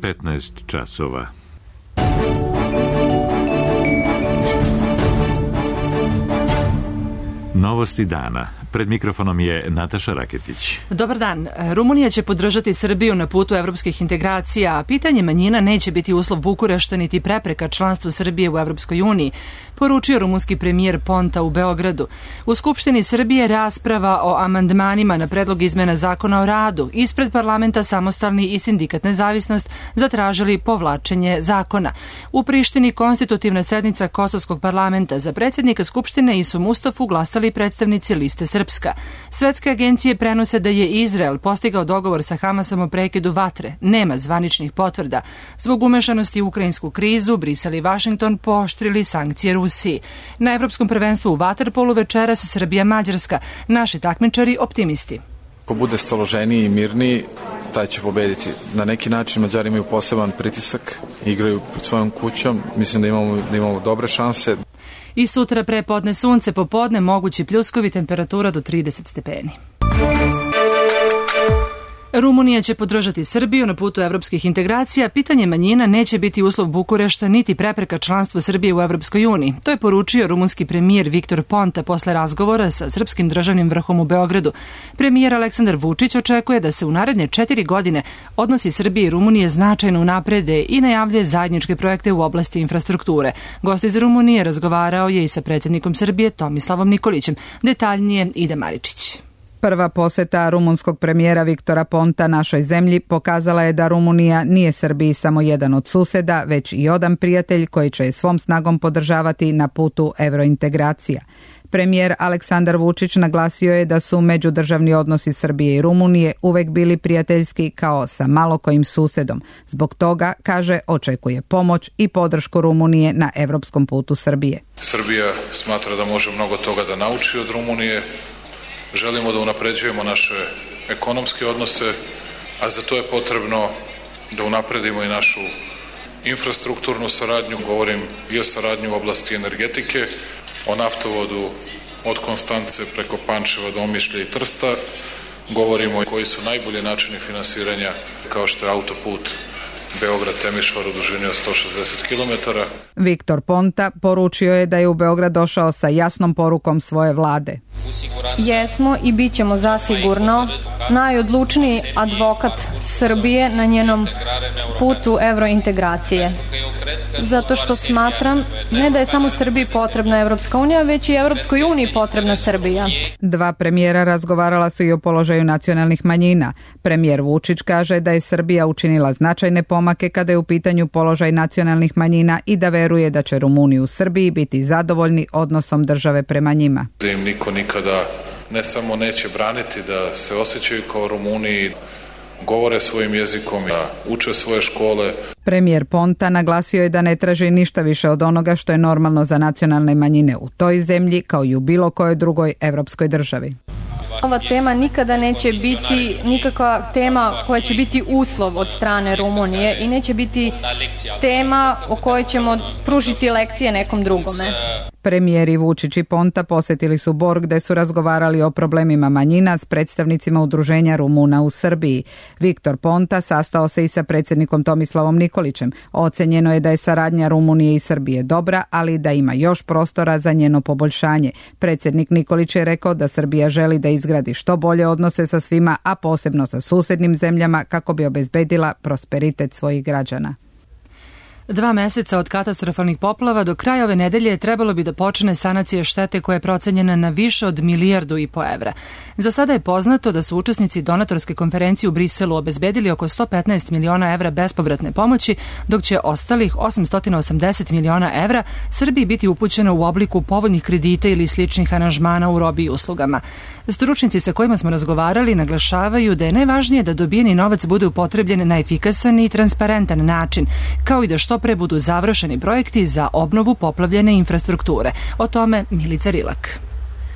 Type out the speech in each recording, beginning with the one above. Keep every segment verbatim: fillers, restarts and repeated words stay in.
petnaest časova. Novosti dana. Pred mikrofonom je Nataša Raketić. Dobar dan. Rumunija će podržati Srbiju na putu evropskih integracija, a pitanje manjina neće biti uslov Bukurešta niti prepreka članstvu Srbije u Evropskoj uniji, poručio rumunski premijer Ponta u Beogradu. U Skupštini Srbije rasprava o amandmanima na predlog izmena zakona o radu. Ispred parlamenta Samostalni i Sindikat Nezavisnost zatražili povlačenje zakona. U Prištini konstitutivna sednica Kosovskog parlamenta. Za predsjednika Skupštine Isu Mustafu glasali predstavnici liste Srpska. Svetske agencije prenose da je Izrael postigao dogovor sa Hamasom o prekidu vatre. Nema zvaničnih potvrda. Zbog umešanosti u ukrajinsku krizu, Brisel i Vašington pooštrili sankcije Rusiji. Na Evropskom prvenstvu u vaterpolu večeras Srbija-Mađarska. Naši takmičari optimisti. Ko bude staloženiji i mirniji, taj će pobediti. Na neki način Mađari imaju poseban pritisak, igraju pod svojom kućom. Mislim da imamo, da imamo dobre šanse. I sutra pre podne sunce, popodne mogući pljuskovi, temperatura do trideset stepeni. Rumunija će podržati Srbiju na putu evropskih integracija. Pitanje manjina neće biti uslov Bukurešta niti prepreka članstva Srbije u Evropskoj uniji. To je poručio rumunski premijer Viktor Ponta posle razgovora sa srpskim državnim vrhom u Beogradu. Premijer Aleksandar Vučić očekuje da se u naredne četiri godine odnosi Srbije i Rumunije značajno unaprede i najavljuje zajedničke projekte u oblasti infrastrukture. Gost iz Rumunije razgovarao je i sa predsjednikom Srbije Tomislavom Nikolićem. Detaljnije Ida Maričić. Prva poseta rumunskog premijera Viktora Ponta našoj zemlji pokazala je da Rumunija nije Srbiji samo jedan od suseda, već i odan prijatelj koji će je svom snagom podržavati na putu evrointegracija. Premijer Aleksandar Vučić naglasio je da su međudržavni odnosi Srbije i Rumunije uvek bili prijateljski kao sa malo kojim susedom. Zbog toga, kaže, očekuje pomoć i podršku Rumunije na evropskom putu Srbije. Srbija smatra da može mnogo toga da nauči od Rumunije. Želimo da unapređujemo naše ekonomske odnose, a za to je potrebno da unapredimo i našu infrastrukturnu saradnju. Govorim i o saradnji u oblasti energetike, o naftovodu od Konstance preko Pančeva do Omišlja i Trsta. Govorimo i koji su najbolji načini finansiranja, kao što je autoput Beograd-Temišvar u dužini od sto šezdeset kilometara. Viktor Ponta poručio je da je u Beograd došao sa jasnom porukom svoje vlade. Jesmo i bit ćemo zasigurno najodlučniji advokat Srbije na njenom putu evrointegracije. Zato što smatram ne da je samo Srbiji potrebna Evropska unija, već i Evropskoj uniji potrebna Srbija. Dva premijera razgovarala su i o položaju nacionalnih manjina. Premijer Vučić kaže da je Srbija učinila značajne pomake kada je u pitanju položaj nacionalnih manjina i da veruje da će Rumuni u Srbiji biti zadovoljni odnosom države prema njima. Da im niko nikada ne samo neće braniti, da se osjećaju kao Rumuni, govore svojim jezikom, da uče svoje škole. Premijer Ponta naglasio je da ne traži ništa više od onoga što je normalno za nacionalne manjine u toj zemlji kao i u bilo kojoj drugoj evropskoj državi. Ova tema nikada neće biti nikakva tema koja će biti uslov od strane Rumunije i neće biti tema o kojoj ćemo pružiti lekcije nekom drugome. Premijeri Vučić i Ponta posjetili su Bor gde su razgovarali o problemima manjina s predstavnicima udruženja Rumuna u Srbiji. Viktor Ponta sastao se i sa predsjednikom Tomislavom Nikolićem. Ocenjeno je da je saradnja Rumunije i Srbije dobra, ali da ima još prostora za njeno poboljšanje. Predsjednik Nikolić je rekao da Srbija želi da izgradi što bolje odnose sa svima, a posebno sa susednim zemljama kako bi obezbedila prosperitet svojih građana. Dva meseca od katastrofalnih poplava do kraja ove nedelje trebalo bi da počne sanacija štete koja je procenjena na više od milijardu i po evra. Za sada je poznato da su učesnici donatorske konferencije u Briselu obezbedili oko sto petnaest miliona evra bespovratne pomoći, dok će ostalih osamsto osamdeset miliona evra Srbiji biti upućeno u obliku povoljnih kredita ili sličnih aranžmana u robi i uslugama. Stručnici sa kojima smo razgovarali naglašavaju da je najvažnije da dobijeni novac bude upotrebljen na efikasan i transparentan način, kao i da što pre budu završeni projekti za obnovu poplavljene infrastrukture. O tome Milica Rilak.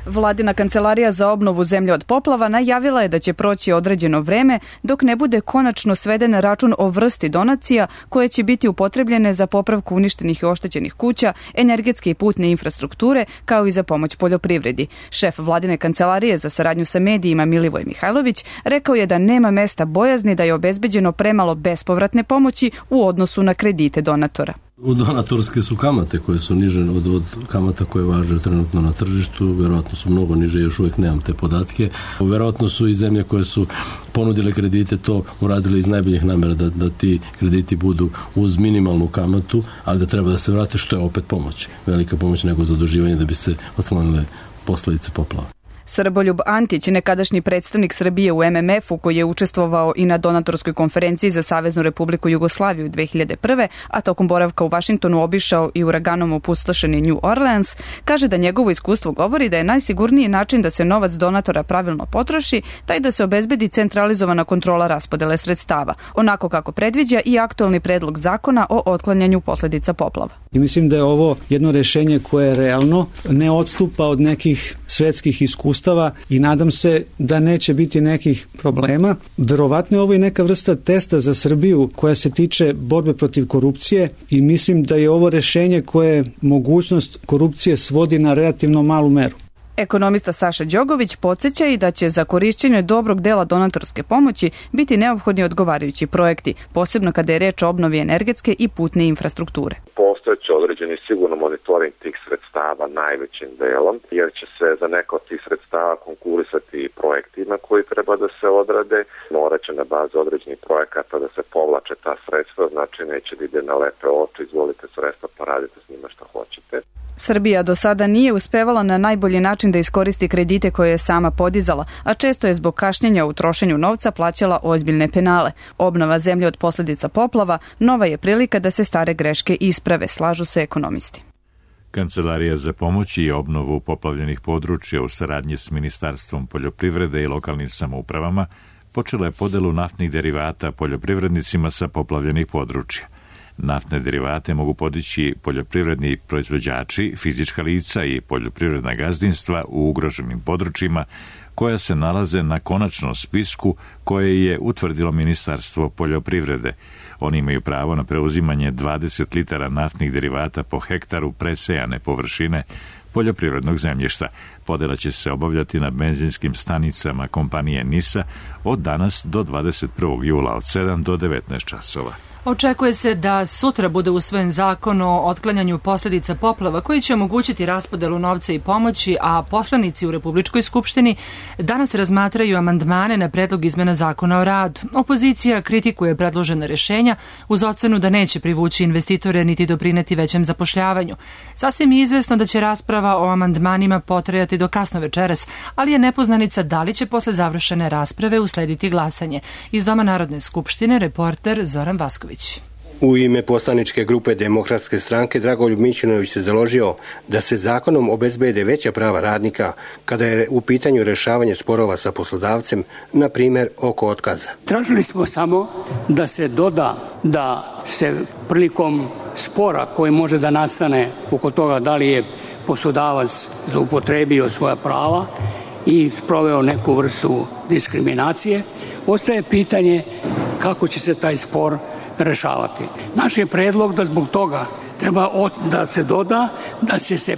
Vladina kancelarija za obnovu zemlje od poplava najavila je da će proći određeno vreme dok ne bude konačno sveden račun o vrsti donacija koje će biti upotrebljene za popravku uništenih i oštećenih kuća, energetske i putne infrastrukture, kao i za pomoć poljoprivredi. Šef Vladine kancelarije za saradnju sa medijima Milivoj Mihajlović rekao je da nema mesta bojazni da je obezbeđeno premalo bespovratne pomoći u odnosu na kredite donatora. Donatorske su kamate koje su niže od, od kamata koje važe trenutno na tržištu, verovatno su mnogo niže, još uvijek nemam te podatke. Verovatno su i zemlje koje su ponudile kredite to uradile iz najboljih namera da, da ti krediti budu uz minimalnu kamatu, ali da treba da se vrate, što je opet pomoć. Velika pomoć nego zaduživanje da bi se otklonile posledice poplava. Srboljub Antić, nekadašnji predstavnik Srbije u M M F-u koji je učestvovao i na donatorskoj konferenciji za Saveznu Republiku Jugoslaviju dve hiljade prve. a tokom boravka u Vašingtonu obišao i uraganom opustošeni New Orleans, kaže da njegovo iskustvo govori da je najsigurniji način da se novac donatora pravilno potroši taj da se obezbedi centralizovana kontrola raspodele sredstava, onako kako predviđa i aktualni predlog zakona o otklanjanju posledica poplava. I mislim da je ovo jedno rešenje koje je realno, ne odstupa od nekih svetskih iskustava i nadam se da neće biti nekih problema. Verovatno je ovo i neka vrsta testa za Srbiju koja se tiče borbe protiv korupcije i mislim da je ovo rešenje koje mogućnost korupcije svodi na relativno malu meru. Ekonomista Saša Đogović podsjeća i da će za korišćenje dobrog dela donatorske pomoći biti neophodni odgovarajući projekti, posebno kada je reč o obnovi energetske i putne infrastrukture. Postojeće određeni sigurno monitoring tih sredstava najvećim delom, jer će se za neko od tih sredstava konkurisati projektima koji treba da se odrade, morat će na bazi određenih projekata da se povlače ta sredstva, znači neće da ide na lepe oči, izvolite sredstva pa radite s njima što hoćete. Srbija do sada nije uspevala na najbolji način da iskoristi kredite koje je sama podizala, a često je zbog kašnjenja u trošenju novca plaćala ozbiljne penale. Obnova zemlje od posledica poplava nova je prilika da se stare greške isprave, slažu se ekonomisti. Kancelarija za pomoć i obnovu poplavljenih područja u saradnji s Ministarstvom poljoprivrede i lokalnim samoupravama počela je podelu naftnih derivata poljoprivrednicima sa poplavljenih područja. Naftne derivate mogu podići poljoprivredni proizvođači, fizička lica i poljoprivredna gazdinstva u ugroženim područjima koja se nalaze na konačnom spisku koje je utvrdilo Ministarstvo poljoprivrede. Oni imaju pravo na preuzimanje dvadeset litara naftnih derivata po hektaru presejane površine poljoprivrednog zemljišta. Podela će se obavljati na benzinskim stanicama kompanije NIS-a od danas do dvadeset prvog jula od sedam do devetnaest časova. Očekuje se da sutra bude usvojen zakon o otklanjanju posljedica poplava koji će omogućiti raspodelu novca i pomoći, a poslanici u Republičkoj skupštini danas razmatraju amandmane na predlog izmena zakona o radu. Opozicija kritikuje predložena rešenja uz ocenu da neće privući investitore niti doprineti većem zapošljavanju. Sasvim je izvesno da će rasprava o amandmanima potrajati do kasno večeras, ali je nepoznanica da li će posle završene rasprave uslediti glasanje. Iz Doma Narodne skupštine reporter Zoran Vasković. U ime poslaničke grupe Demokratske stranke Dragoljub Mićunović se založio da se zakonom obezbede veća prava radnika kada je u pitanju rešavanje sporova sa poslodavcem, na primjer oko otkaza. Tražili smo samo da se doda da se prilikom spora koji može da nastane oko toga da li je poslodavac zloupotrebio svoja prava i sproveo neku vrstu diskriminacije, ostaje pitanje kako će se taj spor rešavati. Naš je predlog da zbog toga treba da se doda da će se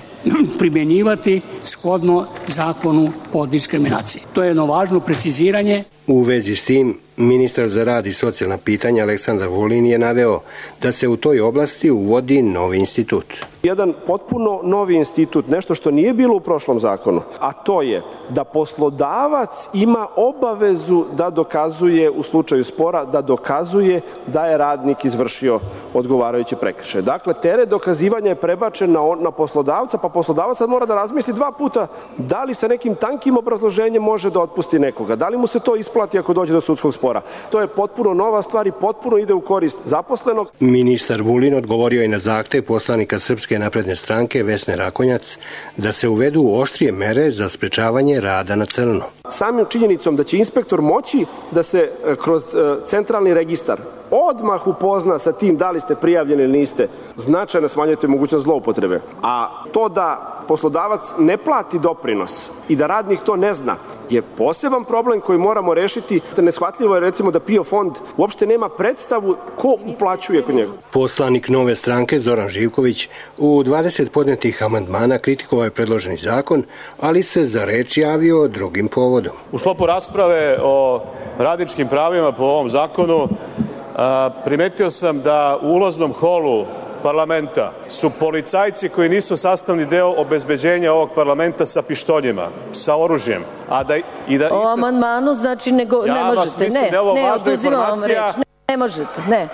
primjenjivati shodno zakonu o diskriminaciji. To je jedno važno preciziranje. U vezi s tim, ministar za rad i socijalna pitanja Aleksandar Vulin je naveo da se u toj oblasti uvodi novi institut. Jedan potpuno novi institut, nešto što nije bilo u prošlom zakonu, a to je da poslodavac ima obavezu da dokazuje u slučaju spora, da dokazuje da je radnik izvršio odgovarajuće prekršaje. Dakle, teret dokazivanja je prebačen na, na poslodavca, pa poslodavac sad mora da razmisli dva puta da li sa nekim tankim obrazloženjem može da otpusti nekoga, da li mu se to isplati ako dođe do sudskog spora. spora. To je potpuno nova stvar i potpuno ide u korist zaposlenog. Ministar Vulin odgovorio je na zahtev poslanika Srpske napredne stranke Vesne Rakonjac da se uvedu oštrije mere za sprečavanje rada na crno. Samim činjenicom da će inspektor moći da se kroz centralni registar odmah upozna sa tim da li ste prijavljeni ili niste, značajno smanjujete mogućnost zloupotrebe. A to da poslodavac ne plati doprinos i da radnik to ne zna je poseban problem koji moramo rešiti. Neshvatljivo je recimo da P I O fond uopšte nema predstavu ko uplaćuje kod njega. Poslanik Nove stranke Zoran Živković u dvadeset podnetih amandmana kritikovao je predloženi zakon, ali se za reč javio drugim povodom. U sklopu rasprave o radničkim pravima po ovom zakonu a, primetio sam da u ulaznom holu parlamenta su policajci koji nisu sastavni deo obezbeđenja ovog parlamenta sa pištoljima, sa oružjem. A da, i da o amandmanu znači nego, ja ne možete, mislim, ne, da ne, oduzimam vam reč, ne, ne možete, ne.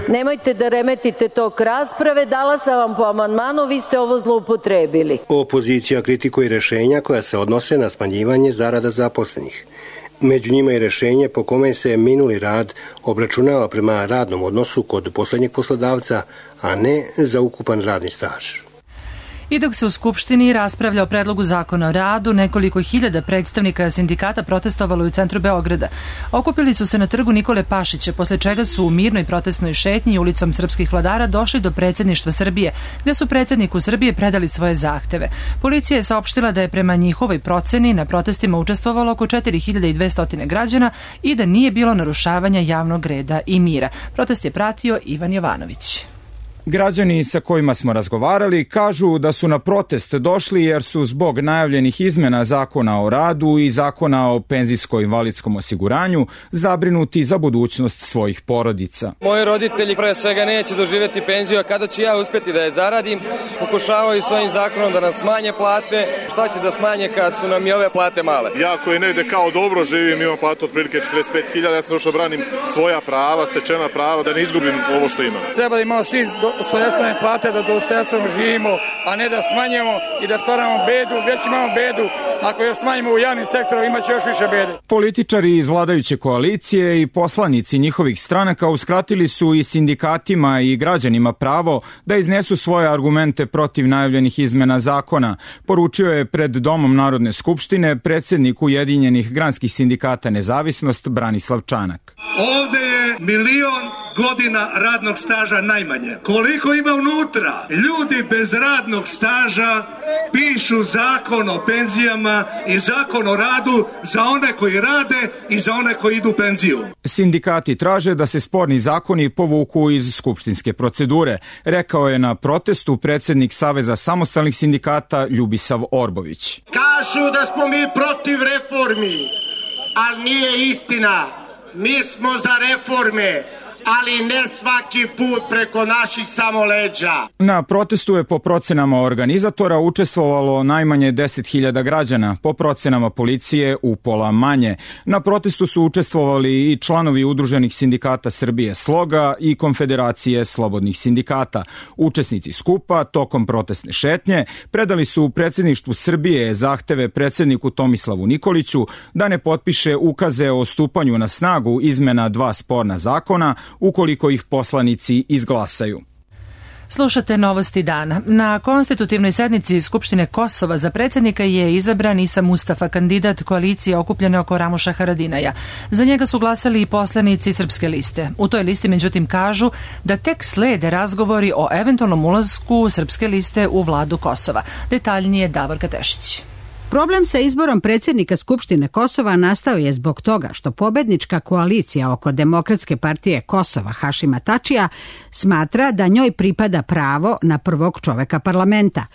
Nemojte da remetite tok rasprave, dala sam vam po amandmanu, vi ste ovo zloupotrebili. Opozicija kritikuje rešenja koja se odnose na smanjivanje zarada zaposlenih. Među njima je rešenje po kome se minuli rad obračunava prema radnom odnosu kod poslednjeg poslodavca, a ne za ukupan radni staž. I dok se u Skupštini raspravlja o predlogu zakona o radu, nekoliko hiljada predstavnika sindikata protestovalo u centru Beograda. Okupili su se na trgu Nikole Pašića, posle čega su u mirnoj protestnoj šetnji ulicom srpskih vladara došli do predsjedništva Srbije, gde su predsjedniku Srbije predali svoje zahteve. Policija je saopštila da je prema njihovoj proceni na protestima učestvovalo oko četiri hiljade dvesta građana i da nije bilo narušavanja javnog reda i mira. Protest je pratio Ivan Jovanović. Građani sa kojima smo razgovarali kažu da su na protest došli jer su zbog najavljenih izmena zakona o radu i zakona o penzijsko-invalidskom osiguranju zabrinuti za budućnost svojih porodica. Moji roditelji pre svega neće doživjeti penziju, a kada ću ja uspjeti da je zaradim, pokušavaju s ovim zakonom da nam smanje plate. Šta će da smanje kad su nam i ove plate male? Ja koji negde kao dobro živim, imam platu otprilike četrdeset pet hiljada, ja sam došao da branim svoja prava, stečena prava, da ne izgubim ovo što imam. Treba da imamo svi dostojanstvene plate, da dostojanstveno živimo, a ne da smanjujemo i da stvaramo bedu. Već imamo bedu, ako još smanjimo u javnim sektorom, imaće još više bede. Političari iz vladajuće koalicije i poslanici njihovih stranaka uskratili su i sindikatima i građanima pravo da iznesu svoje argumente protiv najavljenih izmena zakona, poručio je pred Domom Narodne skupštine predsjednik Ujedinjenih granskih sindikata Nezavisnost Branislav Čanak. Ovde je milion godina radnog staža najmanje. Koliko ima unutra? Ljudi bez radnog staža pišu zakon o penzijama i zakon o radu za one koji rade i za one koji idu u penziju. Sindikati traže da se sporni zakoni povuku iz skupštinske procedure, rekao je na protestu predsjednik Saveza samostalnih sindikata Ljubisav Orbović. Kažu da smo mi protiv reformi, ali nije istina. Mi smo za reforme, ali ne svaki put preko naših samo leđa. Na protestu je po procenama organizatora učestvovalo najmanje deset hiljada građana, po procenama policije upola manje. Na protestu su učestvovali i članovi udruženih sindikata Srbije Sloga i Konfederacije slobodnih sindikata. Učesnici skupa tokom protestne šetnje predali su predsjedništvu Srbije zahteve predsjedniku Tomislavu Nikoliću da ne potpiše ukaze o stupanju na snagu izmena dva sporna zakona ukoliko ih poslanici izglasaju. Slušate Novosti dana. Na konstitutivnoj sednici Skupštine Kosova za predsjednika je izabran Isa Mustafa, kandidat koalicije okupljene oko Ramuša Haradinaja. Za njega su glasali i poslanici Srpske liste. U toj listi međutim kažu da tek slede razgovori o eventualnom ulasku Srpske liste u vladu Kosova. Detaljnije Davorka Tešić. Problem sa izborom predsjednika Skupštine Kosova nastao je zbog toga što pobednička koalicija oko Demokratske partije Kosova Hašima Tačija smatra da njoj pripada pravo na prvog čoveka parlamenta.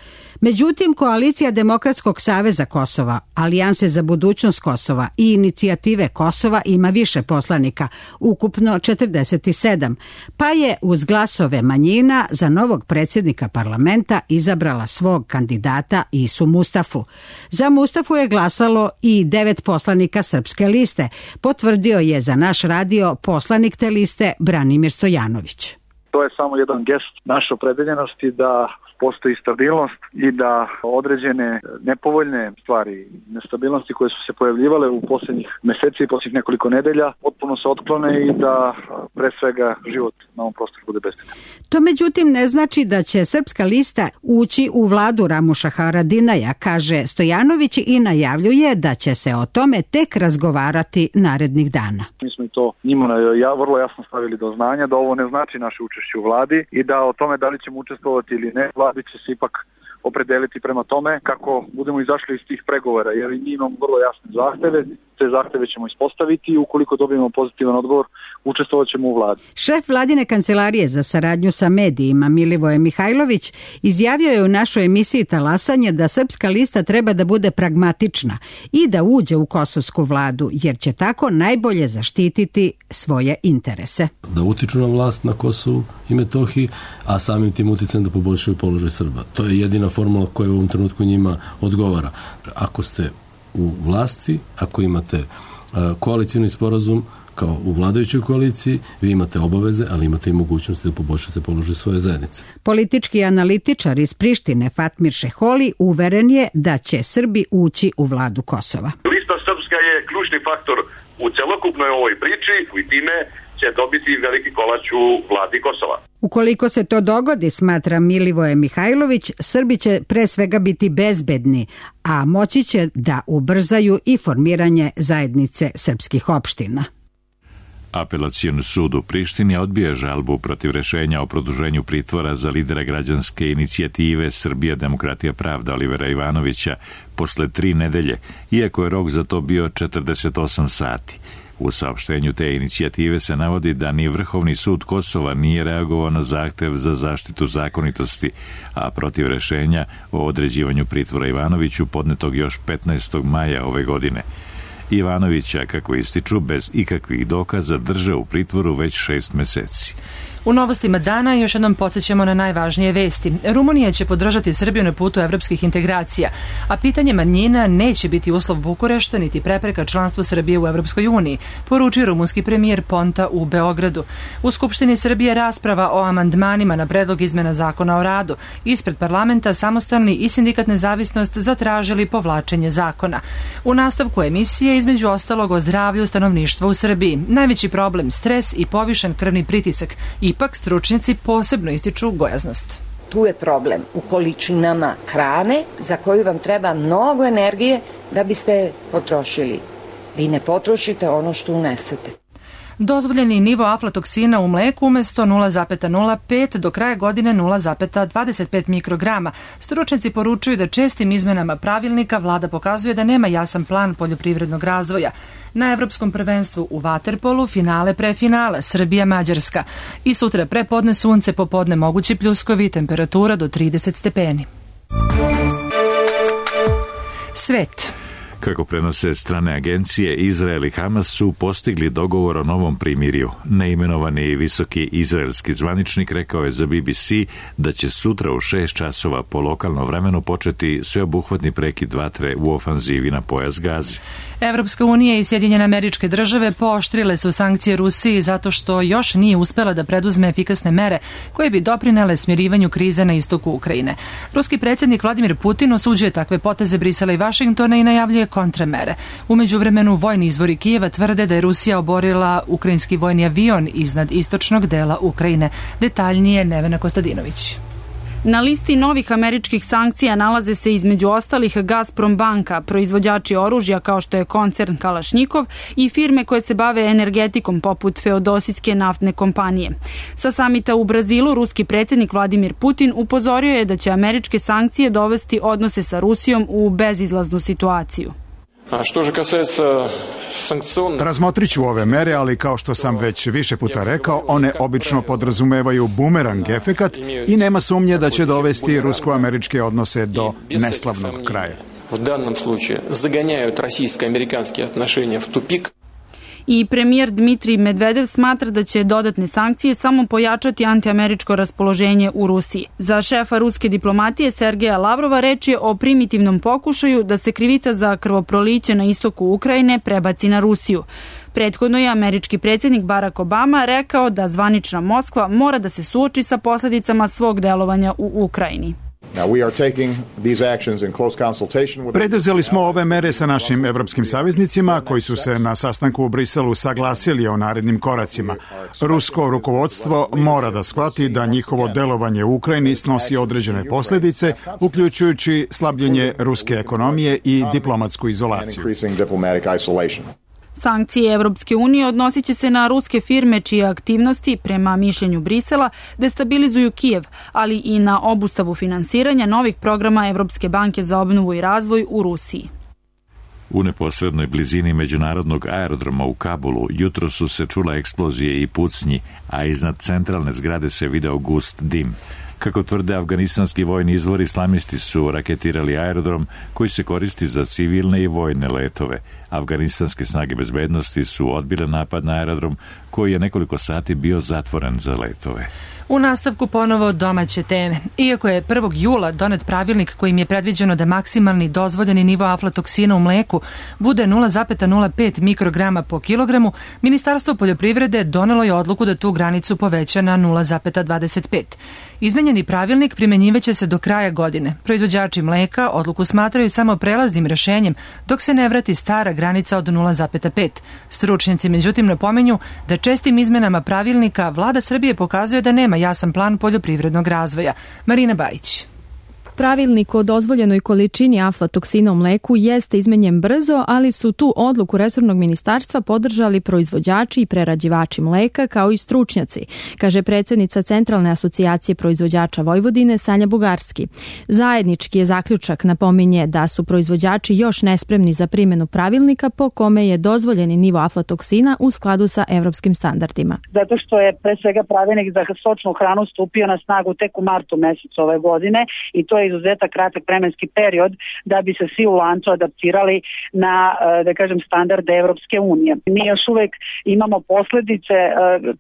Međutim, koalicija Demokratskog saveza Kosova, Alijanse za budućnost Kosova i Inicijative Kosova ima više poslanika, ukupno četrdeset sedam, pa je uz glasove manjina za novog predsjednika parlamenta izabrala svog kandidata Isu Mustafu. Za Mustafu je glasalo i devet poslanika Srpske liste, potvrdio je za naš radio poslanik te liste Branimir Stojanović. To je samo jedan gest naše opredeljenosti da postoji stabilnost i da određene nepovoljne stvari, nestabilnosti koje su se pojavljivale u posljednjih meseci i posljednjih nekoliko nedelja potpuno se otklone i da pre svega život na ovom prostoru bude bezbedan. To međutim ne znači da će Srpska lista ući u vladu Ramuša Haradinaja, kaže Stojanović i najavljuje da će se o tome tek razgovarati narednih dana. Mi smo i to njima ja, vrlo jasno stavili do znanja da ovo ne znači naše učešće u vladi i da o tome da li ćemo učestvovati ili ne, vladi će se ipak opredeliti prema tome kako budemo izašli iz tih pregovora, jer i mi imamo vrlo jasne zahteve, te zahteve ćemo ispostaviti i ukoliko dobijemo pozitivan odgovor, učestvovat ćemo u vladi. Šef vladine kancelarije za saradnju sa medijima Milivoje Mihajlović izjavio je u našoj emisiji Talasanje da Srpska lista treba da bude pragmatična i da uđe u kosovsku vladu, jer će tako najbolje zaštititi svoje interese. Da utiču na vlast na Kosovu i Metohiji, a samim tim uticajem da poboljšaju položaj Srba. To je jedina formula koja u ovom trenutku njima odgovara. Ako ste u vlasti, ako imate uh, koalicijni sporazum kao u vladajućoj koaliciji, vi imate obaveze, ali imate i mogućnosti da poboljšate položaj svoje zajednice. Politički analitičar iz Prištine Fatmir Šeholi uveren je da će Srbi ući u vladu Kosova. Lista Srpska je ključni faktor u celokupnoj ovoj priči i time će dobiti veliki kolač u vladi Kosova. Ukoliko se to dogodi, smatra Milivoje Mihajlović, Srbi će pre svega biti bezbedni, a moći će da ubrzaju i formiranje zajednice srpskih opština. Apelacioni sud u Prištini odbija žalbu protiv rešenja o produženju pritvora za lidera građanske inicijative Srbija, demokratija, pravda Olivera Ivanovića posle tri nedelje, iako je rok za to bio četrdeset osam sati. U saopštenju te inicijative se navodi da ni Vrhovni sud Kosova nije reagovao na zahtev za zaštitu zakonitosti, a protiv rešenja o određivanju pritvora Ivanoviću podnetog još petnaestog maja ove godine. Ivanovića, kako ističu, bez ikakvih dokaza drže u pritvoru već šest meseci. U novostima dana još jednom podsjećamo na najvažnije vesti. Rumunija će podržati Srbiju na putu evropskih integracija, a pitanje manjina neće biti uslov Bukurešta niti prepreka članstvu Srbije u Evropskoj uniji, poručio rumunski premijer Ponta u Beogradu. U Skupštini Srbije rasprava o amandmanima na predlog izmena zakona o radu. Ispred parlamenta Samostalni i Sindikat Nezavisnost zatražili povlačenje zakona. U nastavku emisije između ostalog o zdravlju stanovništva u Srbiji. Najveći problem stres i povišen krvni pritisak. Ipak stručnjaci posebno ističu gojaznost. Tu je problem u količinama hrane za koju vam treba mnogo energije da biste potrošili. Vi ne potrošite ono što unesete. Dozvoljeni nivo aflatoksina u mleku umesto nula zarez nula pet do kraja godine nula zarez dvadeset pet mikrograma. Stručnjaci poručuju da čestim izmenama pravilnika vlada pokazuje da nema jasan plan poljoprivrednog razvoja. Na Evropskom prvenstvu u vaterpolu finale pre finala Srbija-Mađarska. I sutra prepodne sunce, popodne mogući pljuskovi, temperatura do trideset stepeni. Svet. Kako prenose strane agencije, Izrael i Hamas su postigli dogovor o novom primirju. Neimenovani visoki izraelski zvaničnik rekao je za B B C da će sutra u šest časova po lokalnom vremenu početi sveobuhvatni prekid vatre u ofanzivi na pojas Gaze. Evropska unija i Sjedinjene Američke Države pooštrile su sankcije Rusiji zato što još nije uspela da preduzme efikasne mere koje bi doprinele smirivanju krize na istoku Ukrajine. Ruski predsjednik Vladimir Putin osuđuje takve poteze Brisela i Vašingtona i najavljuje kontramere. U međuvremenu vojni izvori Kijeva tvrde da je Rusija oborila ukrajinski vojni avion iznad istočnog dela Ukrajine. Detaljnije Nevena Kostadinović. Na listi novih američkih sankcija nalaze se između ostalih Gazprom banka, proizvođači oružja kao što je koncern Kalašnikov i firme koje se bave energetikom poput feodosijske naftne kompanije. Sa samita u Brazilu ruski predsjednik Vladimir Putin upozorio je da će američke sankcije dovesti odnose sa Rusijom u bezizlaznu situaciju. Razmotrit ću ove mere, ali kao što sam već više puta rekao, one obično podrazumevaju bumerang efekat i nema sumnje da će dovesti rusko-američke odnose do neslavnog kraja. U danom slučaju zaganjaju российско-американские отношения в тупик. I premijer Dmitrij Medvedev smatra da će dodatne sankcije samo pojačati antiameričko raspoloženje u Rusiji. Za šefa ruske diplomatije Sergeja Lavrova reč je o primitivnom pokušaju da se krivica za krvoproliće na istoku Ukrajine prebaci na Rusiju. Prethodno je američki predsjednik Barack Obama rekao da zvanična Moskva mora da se suoči sa posljedicama svog delovanja u Ukrajini. Preduzeli smo ove mere sa našim evropskim saveznicima koji su se na sastanku u Briselu saglasili o narednim koracima. Rusko rukovodstvo mora da shvati da njihovo delovanje u Ukrajini snosi određene posljedice, uključujući slabljenje ruske ekonomije i diplomatsku izolaciju. Sankcije Evropske unije odnosit će se na ruske firme čije aktivnosti, prema mišljenju Brisela, destabilizuju Kijev, ali i na obustavu finansiranja novih programa Evropske banke za obnovu i razvoj u Rusiji. U neposrednoj blizini međunarodnog aerodroma u Kabulu jutro su se čula eksplozije i pucnji, a iznad centralne zgrade se video gust dim. Kako tvrde afganistanski vojni izvori, islamisti su raketirali aerodrom koji se koristi za civilne i vojne letove. Afganistanske snage bezbednosti su odbile napad na aerodrom koji je nekoliko sati bio zatvoren za letove. U nastavku ponovo domaće teme. Iako je prvog jula donet pravilnik kojim je predviđeno da maksimalni dozvoljeni nivo aflatoksina u mleku bude nula zarez nula pet mikrograma po kilogramu, Ministarstvo poljoprivrede donelo je odluku da tu granicu poveća na nula zarez dvadeset pet. Izmenjeni pravilnik primenjivaće se do kraja godine. Proizvođači mleka odluku smatraju samo prelaznim rešenjem dok se ne vrati stara granica od nula zarez pet. Stručnjaci međutim napominju da čestim izmenama pravilnika vlada Srbije pokazuje da nema jasan plan poljoprivrednog razvoja. Marina Bajić. Pravilnik o dozvoljenoj količini aflatoksina u mleku jeste izmenjen brzo, ali su tu odluku resornog ministarstva podržali proizvođači i prerađivači mleka kao i stručnjaci, kaže predsjednica Centralne asocijacije proizvođača Vojvodine Sanja Bugarski. Zajednički je zaključak, napominje da su proizvođači još nespremni za primjenu pravilnika po kome je dozvoljeni nivo aflatoksina u skladu sa evropskim standardima. Zato što je pre svega pravilnik za stočnu hranu stupio na snagu tek u martu mesecu ove godine i to je izuzetak kratak vremenski period da bi se svi u lancu adaptirali na, da kažem, standarde Evropske unije. Mi još uvek imamo posljedice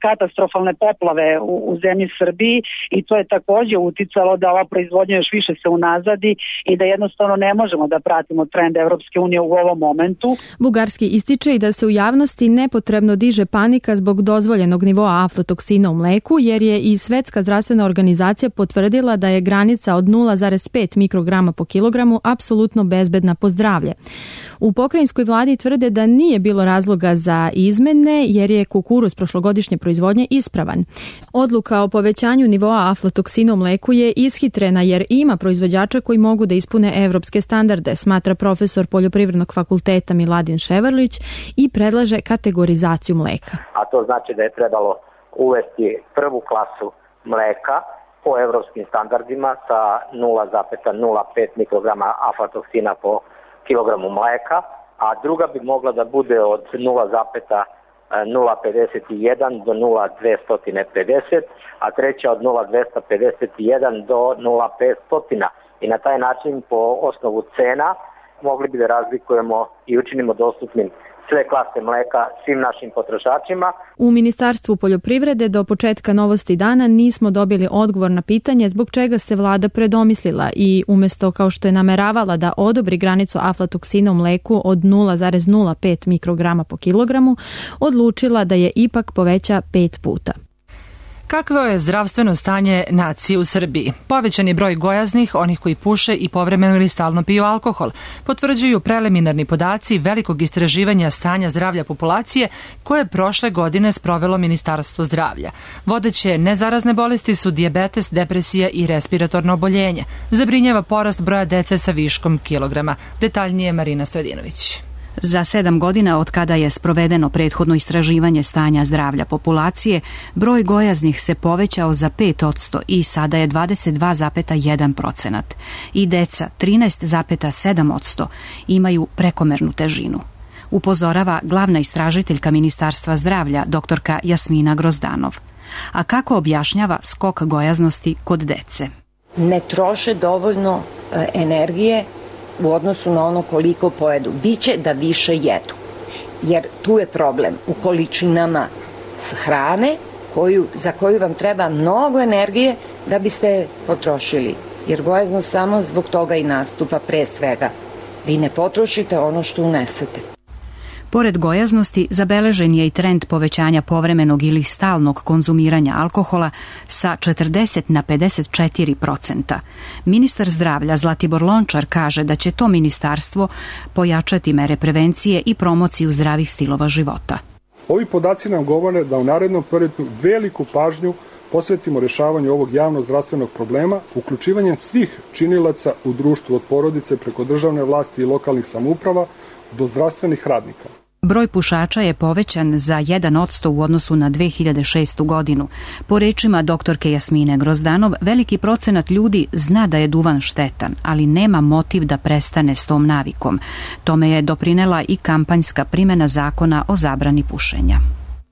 katastrofalne poplave u, u zemlji Srbiji i to je također uticalo da ova proizvodnja još više se unazadi i da jednostavno ne možemo da pratimo trend Evropske unije u ovom momentu. Bugarski ističe i da se u javnosti nepotrebno diže panika zbog dozvoljenog nivoa aflatoksina u mleku, jer je i Svetska zdravstvena organizacija potvrdila da je granica od nula zarez pet mikrograma po kilogramu apsolutno bezbedna po zdravlje. U pokrajinskoj vladi tvrde da nije bilo razloga za izmene jer je kukuruz prošlogodišnje proizvodnje ispravan. Odluka o povećanju nivoa aflatoksina u mleku je ishitrena jer ima proizvođača koji mogu da ispune evropske standarde, smatra profesor Poljoprivrednog fakulteta Miladin Ševarlić i predlaže kategorizaciju mleka. A to znači da je trebalo uvesti prvu klasu mleka po evropskim standardima sa nula zarez nula pet mikrograma aflatoksina po kilogramu mleka, a druga bi mogla da bude od nula zarez nula pedeset jedan do nula zarez dvesta pedeset, a treća od nula zarez dvesta pedeset jedan do nula zarez petsto. I na taj način po osnovu cena mogli bi da razlikujemo i učinimo dostupnim sve klase mleka svim našim potrošačima. U Ministarstvu poljoprivrede do početka Novosti dana nismo dobili odgovor na pitanje zbog čega se vlada predomislila i umjesto kao što je nameravala da odobri granicu aflatoksina u mleku od nula zarez nula pet mikrograma po kilogramu, odlučila da je ipak poveća pet puta. Kakvo je zdravstveno stanje nacije u Srbiji? Povećan je broj gojaznih, onih koji puše i povremeno ili stalno piju alkohol, potvrđuju preliminarni podaci velikog istraživanja stanja zdravlja populacije koje je prošle godine sprovelo Ministarstvo zdravlja. Vodeće nezarazne bolesti su dijabetes, depresija i respiratorno oboljenje. Zabrinjava porast broja dece sa viškom kilograma. Detaljnije Marina Stojedinović. Za sedam godina od kada je sprovedeno prethodno istraživanje stanja zdravlja populacije, broj gojaznih se povećao za pet posto i sada je dvadeset dva zarez jedan procenat. I deca trinaest zarez sedam posto imaju prekomernu težinu. Upozorava glavna istražiteljka Ministarstva zdravlja, doktorka Jasmina Grozdanov. A kako objašnjava skok gojaznosti kod dece? Ne troše dovoljno e, energije u odnosu na ono koliko pojedu. Biće da više jedu. Jer tu je problem u količinama hrane koju, za koju vam treba mnogo energije da biste potrošili. Jer gojaznost samo zbog toga i nastupa pre svega. Vi ne potrošite ono što unesete. Pored gojaznosti, zabeležen je i trend povećanja povremenog ili stalnog konzumiranja alkohola sa četrdeset na pedeset četiri procenta. Ministar zdravlja Zlatibor Lončar kaže da će to ministarstvo pojačati mere prevencije i promociju zdravih stilova života. Ovi podaci nam govore da u narednom periodu veliku pažnju posvetimo rešavanju ovog javno-zdravstvenog problema, uključivanjem svih činilaca u društvu od porodice preko državne vlasti i lokalnih samouprava do zdravstvenih radnika. Broj pušača je povećan za jedan odsto u odnosu na dve hiljade šestu godinu. Po rečima doktorke Jasmine Grozdanov, veliki procenat ljudi zna da je duvan štetan, ali nema motiv da prestane s tom navikom. Tome je doprinela i kampanjska primjena zakona o zabrani pušenja.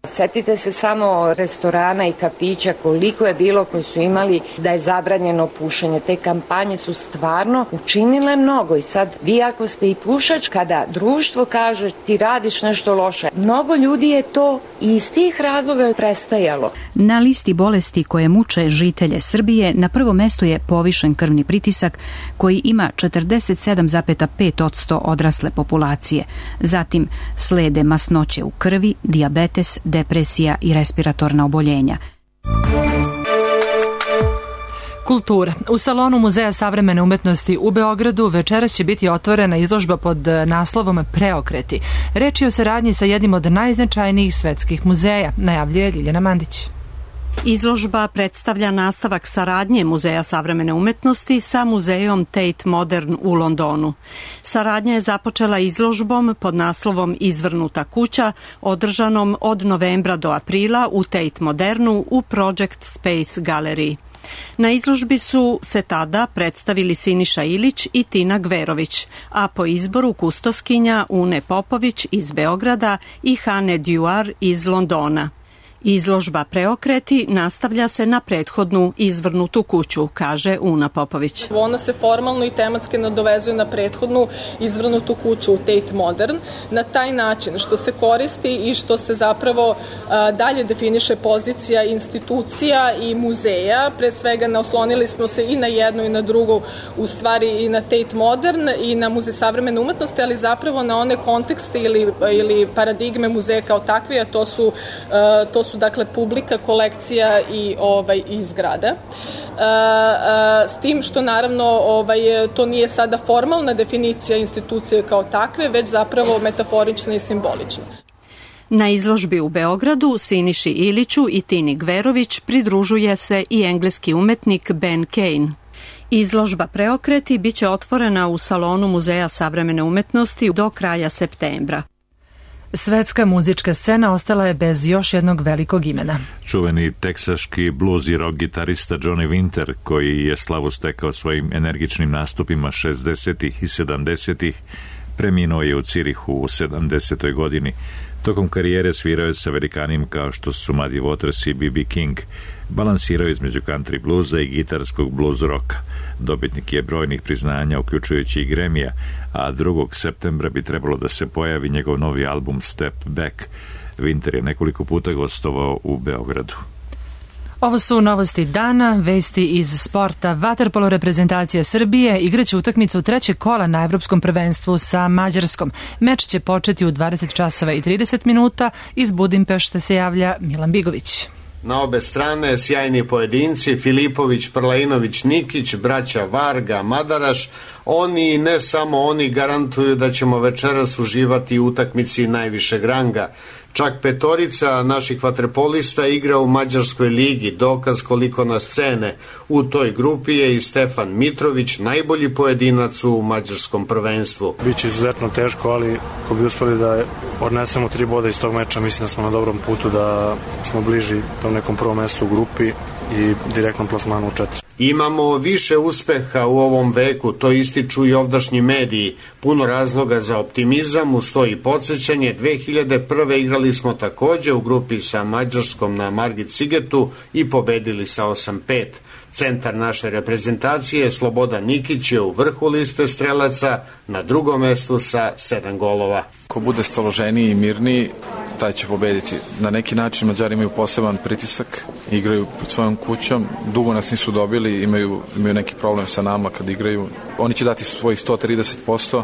Setite se samo restorana i kafića koliko je bilo koji su imali da je zabranjeno pušenje. Te kampanje su stvarno učinile mnogo i sad vi ako ste i pušač, kada društvo kaže ti radiš nešto loše, mnogo ljudi je to iz tih razloga prestajalo. Na listi bolesti koje muče žitelje Srbije na prvom mestu je povišen krvni pritisak koji ima četrdeset sedam zarez pet odsto odrasle populacije. Zatim slede masnoće u krvi, dijabetes, depresija i respiratorna oboljenja. Kultura. U salonu Muzeja savremene umetnosti u Beogradu večeras će biti otvorena izložba pod naslovom Preokreti. Reč je o saradnji sa jednim od najznačajnijih svetskih muzeja, najavljuje Ljiljana Mandić. Izložba predstavlja nastavak saradnje Muzeja savremene umetnosti sa muzejom Tate Modern u Londonu. Saradnja je započela izložbom pod naslovom Izvrnuta kuća, održanom od novembra do aprila u Tate Modernu u Project Space Gallery. Na izložbi su se tada predstavili Siniša Ilić i Tina Gverović, a po izboru kustoskinja Une Popović iz Beograda i Hane Duar iz Londona. Izložba Preokreti nastavlja se na prethodnu Izvrnutu kuću, kaže Una Popović. Ona se formalno i tematski nadovezuje na prethodnu Izvrnutu kuću u Tate Modern na taj način što se koristi i što se zapravo a, dalje definiše pozicija institucija i muzeja. Pre svega naoslonili smo se i na jednu i na drugu, u stvari i na Tate Modern i na Muzej savremene umetnosti, ali zapravo na one kontekste ili, ili paradigme muzeja kao takve, a to su, a, to su su dakle publika, kolekcija i ovaj i zgrada. E, e, s tim što naravno ovaj to nije sada formalna definicija institucije kao takve, već zapravo metaforična i simbolična. Na izložbi u Beogradu Siniši Iliću i Tini Gverović pridružuje se i engleski umetnik Ben Kane. Izložba Preokreti biće otvorena u salonu Muzeja savremene umetnosti do kraja septembra. Svetska muzička scena ostala je bez još jednog velikog imena. Čuveni teksaški blues i rock gitarista Johnny Winter, koji je slavu stekao svojim energičnim nastupima šezdesetih i sedamdesetih, preminuo je u Cirihu u sedamdesetoj godini. Tokom karijere svirao je sa velikanima kao što su Muddy Waters i B B King. Balansirao između country bluza i gitarskog blues roka. Dobitnik je brojnih priznanja, uključujući i Grammy-a, a drugog septembra bi trebalo da se pojavi njegov novi album Step Back. Winter je nekoliko puta gostovao u Beogradu. Ovo su novosti dana, vesti iz sporta. Vaterpolo reprezentacija Srbije igraće utakmicu trećeg kola na Evropskom prvenstvu sa Mađarskom. Meč će početi u dvadeset časova i trideset minuta. Iz Budimpešte se javlja Milan Bigović. Na obe strane sjajni pojedinci Filipović, Prlainović, Nikić, braća Varga, Madaraš. Oni, ne samo oni, garantuju da ćemo večeras uživati u utakmici najvišeg ranga. Čak petorica naših vaterpolista igra u Mađarskoj ligi, dokaz koliko nas cene. U toj grupi je i Stefan Mitrović, najbolji pojedinac u mađarskom prvenstvu. Biće izuzetno teško, ali ako bi uspeli da odnesemo tri boda iz tog meča, mislim da smo na dobrom putu, da smo bliži tom nekom prvom mestu u grupi i direktnom plasmanu u četiri. Imamo više uspeha u ovom veku, to ističu i ovdašnji mediji. Puno razloga za optimizam, uz to i podsjećanje. dve hiljade prve igrali smo takođe u grupi sa Mađarskom na Margit Sigetu i pobedili sa osam pet. Centar naše reprezentacije, Slobodan Nikić, je u vrhu liste strelaca, na drugom mestu sa sedam golova. Ko bude staloženiji i mirniji, taj će pobediti. Na neki način Mađari imaju poseban pritisak, igraju pod svojom kućom, dugo nas nisu dobili, imaju, imaju neki problem sa nama kad igraju. Oni će dati svojih sto trideset posto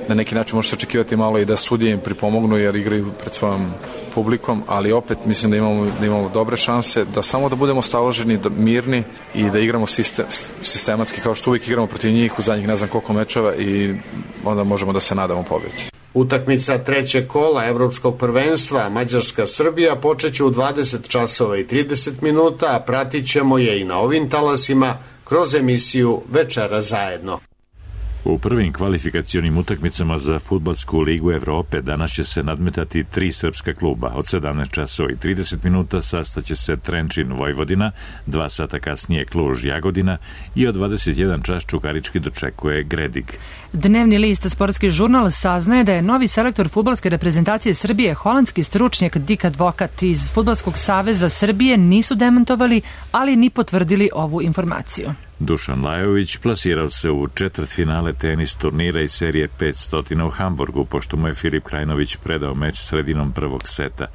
na neki način može se očekivati malo i da sudije im pripomognu jer igraju pred svojom publikom, ali opet mislim da imamo, da imamo dobre šanse, da samo da budemo staloženi, mirni i da igramo sistem, sistematski kao što uvijek igramo protiv njih u zadnjih ne znam koliko mečeva i onda možemo da se nadamo pobjedi. Utakmica trećeg kola Evropskog prvenstva Mađarska-Srbija počeće u dvadeset časova i trideset minuta, a pratit ćemo je i na ovim talasima kroz emisiju Večera zajedno. U prvim kvalifikacionim utakmicama za fudbalsku ligu Evrope danas će se nadmetati tri srpska kluba. Od sedamnaest časova i trideset minuta sastaće se Trenčin Vojvodina, dva sata kasnije Kluž Jagodina i od dvadeset jedan čas Čukarički dočekuje Gredig. Dnevni list Sportski žurnal saznaje da je novi selektor fudbalske reprezentacije Srbije holandski stručnjak Dick Advokat iz Fudbalskog saveza Srbije nisu demantovali, ali ni potvrdili ovu informaciju. Dušan Lajović plasirao se u četvrtfinale tenis turnira iz serije petsto u Hamburgu, pošto mu je Filip Krajinović predao meč sredinom prvog seta.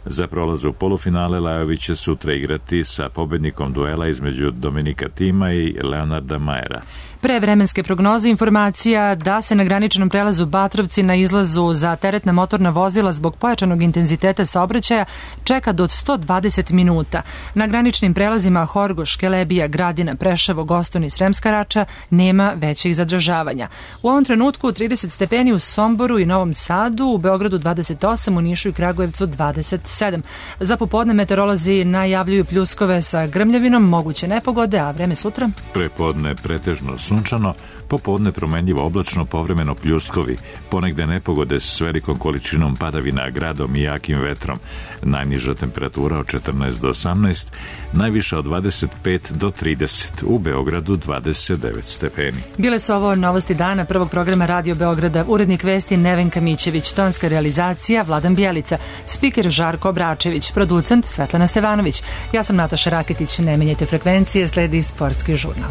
Za prolaz u polufinale Lajović će sutra igrati sa pobednikom duela između Dominika Tima i Leonarda Majera. Pre vremenske prognoze informacija da se na graničnom prelazu Batrovci na izlazu za teretna motorna vozila zbog pojačanog intenziteta saobraćaja čeka do sto dvadeset minuta. Na graničnim prelazima Horgoš, Kelebija, Gradina, Preševo, Goston i Sremska Rača nema većih zadržavanja. U ovom trenutku trideset stepeni u Somboru i Novom Sadu, u Beogradu dvadeset osam, u Nišu i Kragujevcu dvadeset sedam. Za popodne meteorolozi najavljuju pljuskove sa grmljavinom, moguće nepogode, a vreme sutra? Prepodne pretežno sunčano, popodne promenljivo oblačno, povremeno pljuskovi, ponegde nepogode s velikom količinom padavina, gradom i jakim vetrom. Najniža temperatura od četrnaest do osamnaest, najviša od dvadeset pet do trideset, u Beogradu dvadeset devet stepeni. Bile su ovo novosti dana prvog programa Radio Beograda, urednik vesti Nevenka Mićević, tonska realizacija Vladan Bjelica, spiker Žarko Obračević, producent Svetlana Stevanović. Ja sam Nataša Raketić, ne menjajte frekvencije, sledi Sportski žurnal.